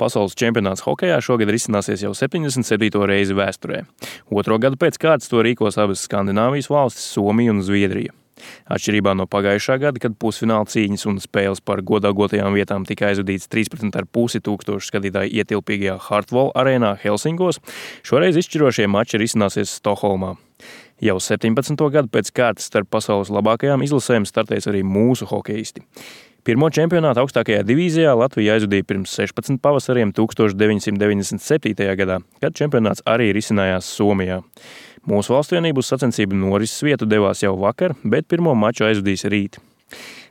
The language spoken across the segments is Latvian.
pasaules čempionāts hokejā šogad risināsies jau 77. reizi vēsturē. Otro gadu pēc kārtas to rīkos abas Skandināvijas valstis – Somija un Zviedrija. Atšķirībā no pagājušā gada, kad pusfināla cīņas un spēles par godāgotajām vietām tika aizvadīts 13,5 tūkstošu skatītāju ietilpīgajā Hartwall arēnā Helsinkos, šoreiz izšķirošie mači risināsies Stokholmā. Jau 17. gadu pēc kārtas starp pasaules labākajām izlasēm startēs arī mūsu hokejisti. Pirmo čempionātu augstākajā divīzijā Latvija aizvadīja pirms 16 pavasariem 1997. gadā, kad čempionāts arī risinājās Somijā. Mūsu valstsvienība uz sacensību norises vietu devās jau vakar, bet pirmo maču aizvadīs rīt.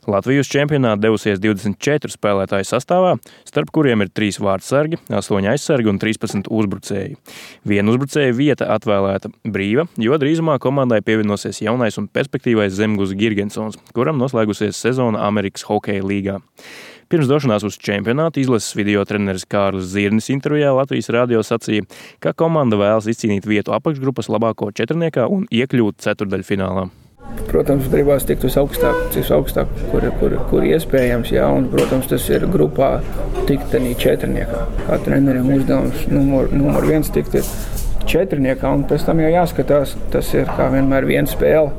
Latvija uz čempionātu devusies 24 spēlētāju sastāvā, starp kuriem ir 3 vārtsargi, 8 aizsargi un 13 uzbrucēji. Viena uzbrucēja vieta atvēlēta brīva, jo drīzumā komandai pievienosies jaunais un perspektīvais Zemgus Girgensons, kuram noslēgusies sezona Amerikas hokeja līgā. Pirms došanās uz čempionātu izlases video treneris Kārlis Zirnis intervijā Latvijas radio sacīja, ka komanda vēlas izcīnīt vietu apakšgrupas labāko četrniekā un iekļūt ceturdaļfinālā. Protams, gribās tikt uz augstāk, kur iespējams, jā, un, protams, tas ir grupā tikt tenī četrniekā. Kā treneriem uzdevums numur 1 tikt ir četrniekā, un pēc tam jau jāskatās, tas ir kā vienmēr viena spēle.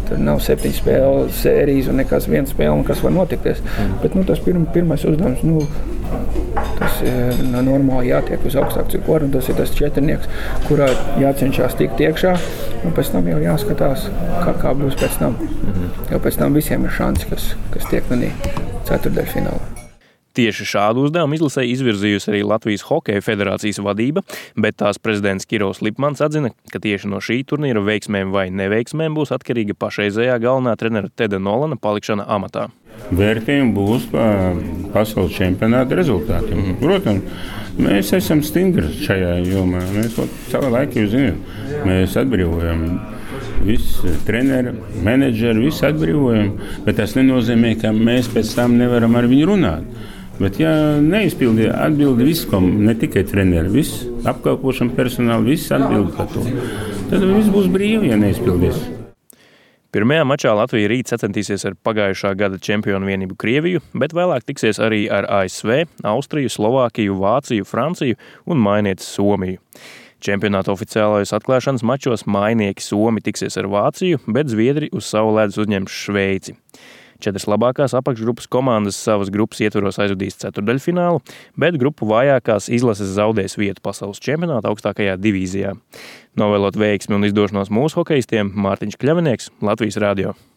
Tur nav 7 spēles sērijas un nekas viena spēle, un kas var notikties. Bet tas pirmais uzdevums, tas ir normāli jātiek uz augstāku ciklu, un tas ir tas četrnieks, kurā jācenšas tikt iekšā, un pēc tam jau jāskatās, kā būs pēc tam. Jo pēc tam visiem ir šansi, kas tiek manī ceturdaļfinālā. Tieši šādu uzdevumu izlasē izvirzījusi arī Latvijas Hokeja federācijas vadība, bet tās prezidents Kirovs Lipmans atzina, ka tieši no šī turnīra veiksmēm vai neveiksmēm būs atkarīga pašreizējā galvenā trenera Teda Nolana palikšana amatā. Vērtējumi būs pasaules čempionāta rezultātiem. Protams, mēs esam stingri šajā jomā. Mēs savu laiku jau zinām, mēs atbrīvojam visi treneri, menedžeri, visi atbrīvojam, bet tas nenozīmē, ka mēs pēc tam nevaram ar viņu runāt. Bet, ja neizpildīja atbildi visam, ne tikai treneri, viss apkalpošana personāli, viss atbildi par to, tad viss būs brīvi, ja neizpildīs. Pirmajā mačā Latvija rīt sacentīsies ar pagājušā gada čempionu vienību Krieviju, bet vēlāk tiksies arī ar ASV, Austriju, Slovākiju, Vāciju, Franciju un mainieci Somiju. Čempionāta oficiālajos atklāšanas mačos mainieki Somi tiksies ar Vāciju, bet Zviedri uz savu ledus uzņems Šveici. 4 labākās apakšgrupas komandas savas grupas ietvaros aizvadīs ceturdaļfinālu, bet grupu vājākās izlases zaudēs vietu pasaules čempionāta augstākajā divīzijā. Novēlot veiksmi un izdošanos mūsu hokejistiem, Mārtiņš Kļavinieks, Latvijas radio.